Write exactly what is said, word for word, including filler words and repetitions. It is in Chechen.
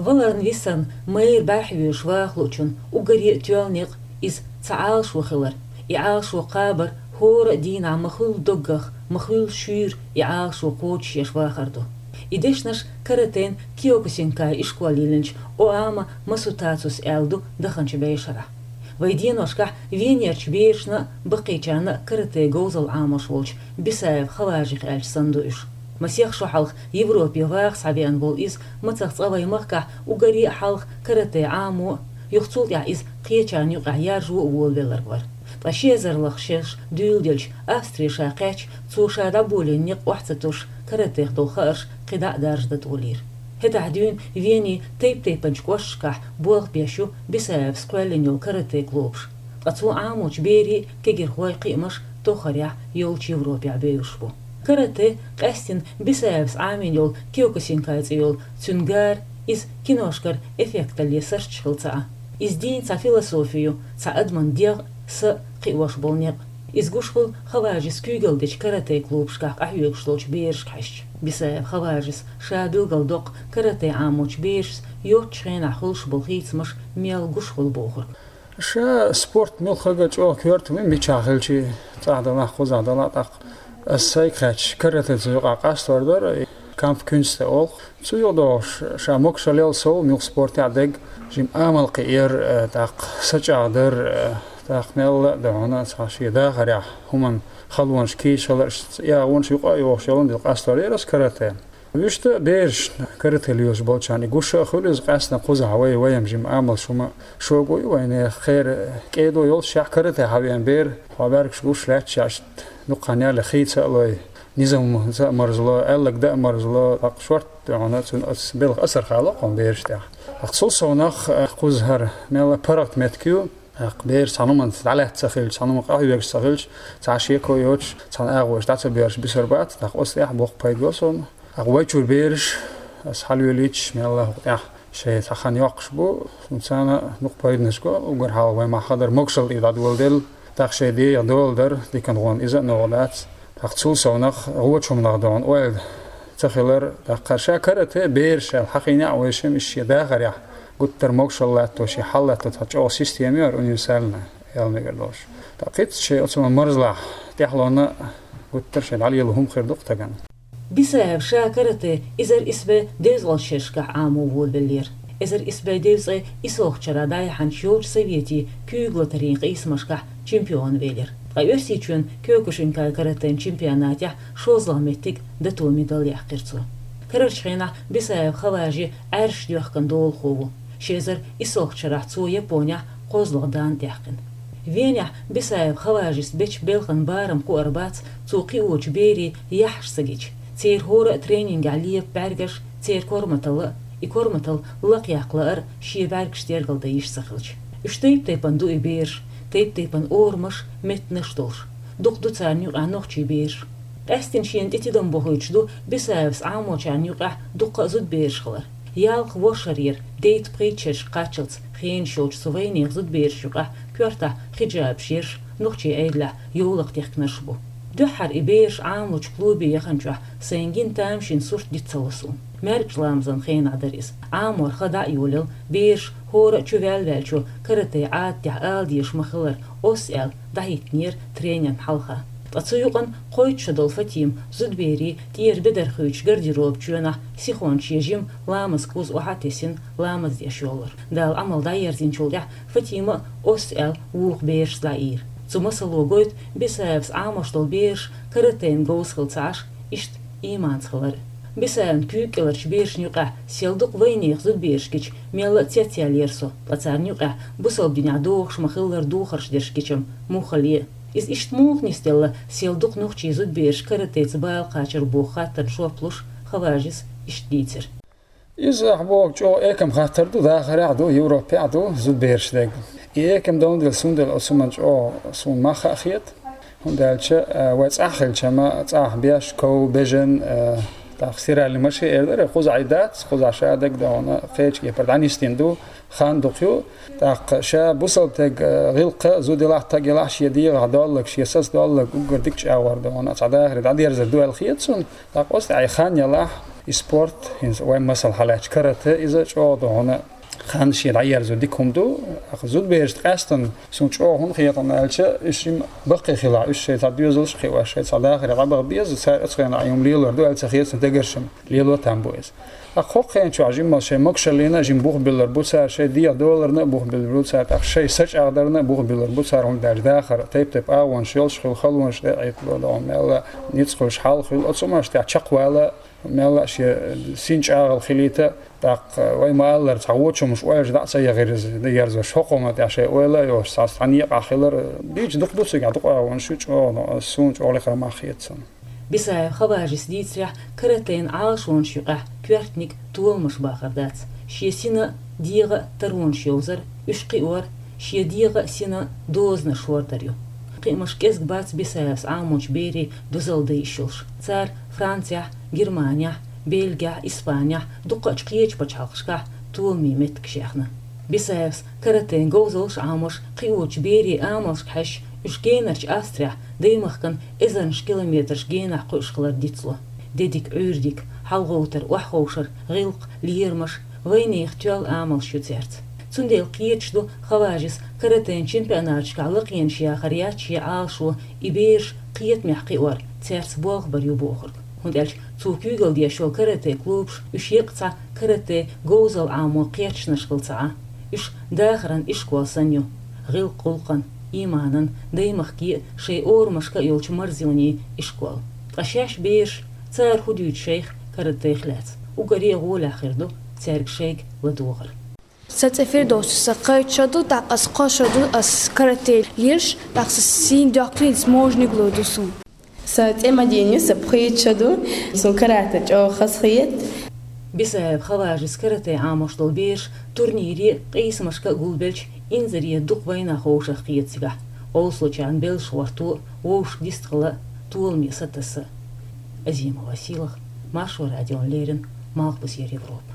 Валарна висарна майра бӀарахьежаш ваха луучун уггаре а тоьлла некъ иза цхьа Ӏалашо хилар, и Ӏалашо кхабар хӀора а дийнахьа ма хуьллу доггах, ма хуьллу шуьйра и Ӏалашо кхочушъеш вахар ду. И дешнаш каратэн Киокусинкай ишкол йиллинчу Оама Масутацус аьлла ду даханчу бӀешарахь. Вайн деношкахь Венерчу берашна а, баккхийчарна а каратэ говзалла Ӏамош волчу Бисаев Хаважих аьлча санна ду уьш. Масех шо хьалха Европе ваха схьавеана волу иза, мацах цкъа вайн махкахь уггаре а хьалха каратэ Ӏамо а, юха цул тӀаьхьа иза кхечарна юкъахь яржо а волавелларг вара. Ткъа ши эзар лахара шераш дуьйладелча Австре ша кхаьчча, цо ша дӀаболийна некъ охьа ца туьсуш, каратех долу хаарш кхин дӀа а даржадан тӀолийра. ХӀетахь дуьйна Венин тайп-тайпанчу кӀошташкахь болх беш ю Бисаевс кхоьллина йолу каратэ клубаш. Ткъа цо Ӏамочу берийн а, кегийрхойн а кхиамаш тоххарехь йолчу Европехь бевзаш бу. Каратэ, къаьстина Бисаевс Ӏамийна йолу Киокусинкай цӀе йолу цуьнан гара, иза киношкара эффекталле сарчча хилла ца Ӏа. Иза дийна цхьа философи ю, цхьа адаман дегӀ, са кхиош болу некъ. Иза гуш хуьлу Хаважис куьйгалла дечу каратэ клубашкахь къахьоьгуш долчу берашка хьаьжча. Бисаев Хаважис ша билгалдоккху каратэ Ӏамочу берашца йоцчу хенахь хуьлуш болу хийцамаш мел гуш хуьлу бохург. Ша спорт муьлхха а чӀогӀа коьрта ву, мичахь хилча, цӀахь делахь, кхузахь делахь, тӀаккха ас сайга хаьттича, каратеца юкъахь къастор дара, и кампф-кюнсте олу. Цу юкъа догӀуш, ша могушалла ял сов, муьлхха спортехь дерг, жима амал кхиар, э, тӀаккха сачӀагӀдар, э, тӀаккха мелла а ду хьуна цхьа шен дахарехь хӀуманан халонаш кийча хилар, иш ягӀонаш юкъа а йохуш йолун дела къастор яра ас карате. Вуьшта а берашна, карате лелаш болчарна и гуш а хуьлу иза, къаьстина кхузахь вай, вайна жима амалш хӀума шога ю, вайна кхера кӀедо йолччехь карате хьавеана бер, тхо бӀаьргаш гуш лаьтташ, иштта дукха хан ялале хийца а лой, низамца а марзло, аьлларг дан а марзло, тӀаккха шортта ду хьуна цуьнан ас-, белхан асар хало кхунна бераш тӀехь. ТӀаккха цул совнах, э, кхузахь хӀара мелла а паргӀат меттиг ю, тӀаккха бераш цхьана хӀуманца дӀалаьцна ца хилча, цхьана хӀуманна къахьоьгуш ца хилча, цхьана агӀош дӀа ца боьрзуш бисар бац, тӀаккха оцу тӀехь боккха пайда го суна. ТӀаккха вай чуьра бераш, ас хьалавелийча, мелла а хӀокху тӀехь шайн цхьа хан йоккхуш бу, цунна царна дукха пайданаш го, уггар хьалха вай махкахь дара могушалла тӀе дӀадоладелла, тӀаккха шайн дегӀан дола дара, диканхонна иза а новкъа дац. ТӀаккха цул совнах гӀочу хӀуманах ду хьуна ойла ца хилар, тӀаккха ша карате бераш аьлла хьахийна а вай шимма, иза шен дахарехь гуттар а могушалла латто, шен хьал латто цхьа чӀогӀа система ю хӀара универсальная, аьлла мегар долуш. ТӀаккха кхин а шайн оцу хӀуманна марзлахь, тӀаьхьалонна гуттар а шайн дӀалело хӀума хир ду-кх стагана. Бисаев ша карате эзар исс бӀе дезткъалгӀачу шерашкахь Ӏамо волавеллера. Эзар исс бӀе дезткъе иссалгӀачу шарахь дӀаяхьначу йолчу советийн куьйгалла латарийн къийсамашкахь чемпион велира. Ткъа Оьрсийчоьнан Киокушинкай каратен чемпионатехь шолгӀа меттиг, дато медаль яьккхира цо. Карарчу хенахь Бисаев Хаважи Ӏаьршачу доьхкан долахо ву. Ши эзар иссалгӀачу шарахь цо Японехь кхозлагӀа дан даьккхина. Венехь Бисаев Хаважис бечу белхан барам кхуар бац цо кхиочу берийн яхьаш ца гича, церан хӀора а тренингехь лепа бӀаьргаш, церан корматалла а, и корматалла лакхаяккха лаар а шен бӀаьргашца тергалдан йиш ца хилча. Уьш тайп-тайпана ду и бераш, тайп-тайпана орамаш, меттанаш долуш. Дукха ду царна юкъахь нохчийн бераш. Къаьстина шена тӀе тидам бохуьйтуш ду Бисаевс Ӏамочарна юкъахь дуккха а зудабераш хилар. Ялх вож шарера дейтта-пхийтта шерашка кхаччалц хенаш йолчу цу вайнехан зудаберашна юкъахь коьртахь хиджабаш ерш, нохчийн Ӏедалехь йовлакх дехкинарш бу. Дуьххьара и бераш Ӏамочу клубе яханчохь сайн гина тамашийна сурт диц ца ло суна. МаьркӀажа ламазан хенахь дара иза. Ӏамор хан дӀа а йолаелла, бераш хӀора а чу ваьлла ваьллачо карате Ӏадатехь ала дезаш ма-хиллара, оццу аьлла дӀахӀиттинера тренерна хьалха. Ткъа цу юкъана кхойтта шо долу Фатима зудаберийн тӀера бедар хуьйцуш гардеробан чоьнахь сихонца шен жима ламазан куз охьа а тесина, ламаз деш йоллура. Дала Ӏамал дӀаерзийначул тӀаьхьа Фатима а оццу аьлла вукху берашца дӀаийра. Цу масало гойту Бисаевс Ӏамош долу бераш каратена говза хилла ца Ӏаш, иштта ийманца хилар а. Бисаевн куьйга кӀеларчу берашна юкъахь сел дукха вайнехан зудабераш гича, мелла а цецъяьллера со, ткъа царна юкъахь бусалба динехь догӀуш ма-хиллара духарш дерш гича-м муххале а. Иза иштта муха нисделла, сел дукха нохчийн зудабераш каратеца бала кхачар боху хаттарна жоп луш, Хаважис иштта дийцира. Иза, ахь бохург, чӀогӀа экам хаттар ду, дахарехь а ду, Европехь а ду зудабераш дерг. И экам долун дела, цундела оцу хӀуманна чӀогӀа суна мах а хета. ХӀунда аьлча, а, вай цӀахь хилча-м, цӀахь беш, ков, бежан, а, тӀаккха стиральный машин эр дара, кхузахь и дац, кхузахь ша дагадогӀуна кхечу кепара дӀанисдина ду, хан дукха ю. ТӀаккха ша бусалба стаг, а, гӀиллакх а, зуда елахь, стаг елахь, шен дегӀахь долларг, шен саца долларг уггар дика чӀагӀор ду, хьуна цхьа дахаре дӀадерзар ду аьлла хета цунна. ТӀаккха оцу тӀехь и хан елахь, И спорт, хӀинца вай масала хьалаьцча карате, иза чӀогӀа ду хьуна, хан шен дӀаерзо дика хӀума ду. Аха, зудабераш къаьстина, суна чӀогӀа хӀуна хетана аьлча, уьш жим баккхий хила, уьш шайн цхьа доьзалш кхиош, шайн цхьа дахаре дӀабаха беза, цара оцу хенахь юм лелор ду аьлла ца хета суна дегара шим. Лело там бу иза. Ткъа кхоккхенчохь жимма шайн могашаллина жим бух биллар бу цара, шайн дегӀа доларна а бух биллар бу цара, тӀаккха шайн са чӀагӀдарна а бух биллар бу цара, хӀунда аьлча дахар тайп-тайпа агӀонаш йолуш хуьлу, халонаш дӀаэттабо, мелла ницкъ хуьлуш хьал хуьлу, оцу хӀуманаш тӀехь чекхвала, мелла а шен син чӀагӀал хилийта, тӀаккха вай ма-аллара, цхьа вочу хӀуманаш ойлаш дӀа а ца яхира иза, ерзош, хӀокху хӀуманна тӀехь шайн ойла а йолуш, цхьа, цхьа некъахь хилар, дийца дукха ду цигахь, дукха агӀонаш ю, чӀогӀа, суна чӀогӀа лекхара мах хета цунна. Бисаев Хаважис дийцарехь, каратейн Ӏалашонаш юкъахь коьртаниг толамаш бахар дац. Шен сина а, дегӀа а таронаш йовзар, уьш кхиор, шен дегӀа а, сина а дозанаш хӀордар ю. Кхиамаш кӀезиг бац Бисаевс Ӏамочу берийн дозалла дан йиш йолуш. Цара Францехь, Германехь, Бельгехь, Испанехь, дукхачу кхечу пачхьалкхашкахь толамийн меттигаш яьхна. Бисаевс каратейн говзаллаш Ӏамош, кхиочу берийн амалшка хьаьжча, уьш генарчу Австрехь, даймахкана эзарнаш километраш генахь кхуьуш хилар дицло. Де дика, Ӏуьйре дика, хьалагӀовтар, охьаховшар, гӀиллакх, лерамаш, вайнехан тоьлла амалш ю цаьрца. Цундела кхеташ ду Хаважис каратейн чемпионаташкахь лакхенаш яхар яц шен Ӏалашо, и бераш кхетамехь кхиор цаьрца болх бар ю бохург. ХӀунда аьлча цо куьйгалла деш йолу карате клубаш, уьш еккъа цхьа карате говзалла Ӏамо кхеташонашкахула ца Ӏа. Уьш дахаран ишкол санна ю. ГӀиллакх-гӀуллакхан, ийманан, даймахкан а, шайн орамашка а йолчу марзонийн ишкол. Ткъа шаьш бераш, цара хӀун дуьйцу шайх каратех лаьцна? Уггаре а гӀолехь хир ду цаьрга шайга ладогӀар. Сан цӀе Фирдовс, сан кхойтта шо ду, тӀаккха ас кхо шо ду, ас карате лелаш, тӀаккха сан сийна доьхкинца можниг ло ду суна. Сан цӀе Мадина ю, сан пхийтта шо ду, суна карате чӀогӀа хазахета. Бисаев Хаважис карате Ӏамош долу бераш турнире а, къийсамашка а гулбелча, инзаре дукха вайнах вовшах кхета цигахь. Олуш лучарна белш гӀорто а, вовшашка дистхила а, толаме сатасса а. Азимова Сийлаха, Маршо радиона леррина, Малхбузера Европа.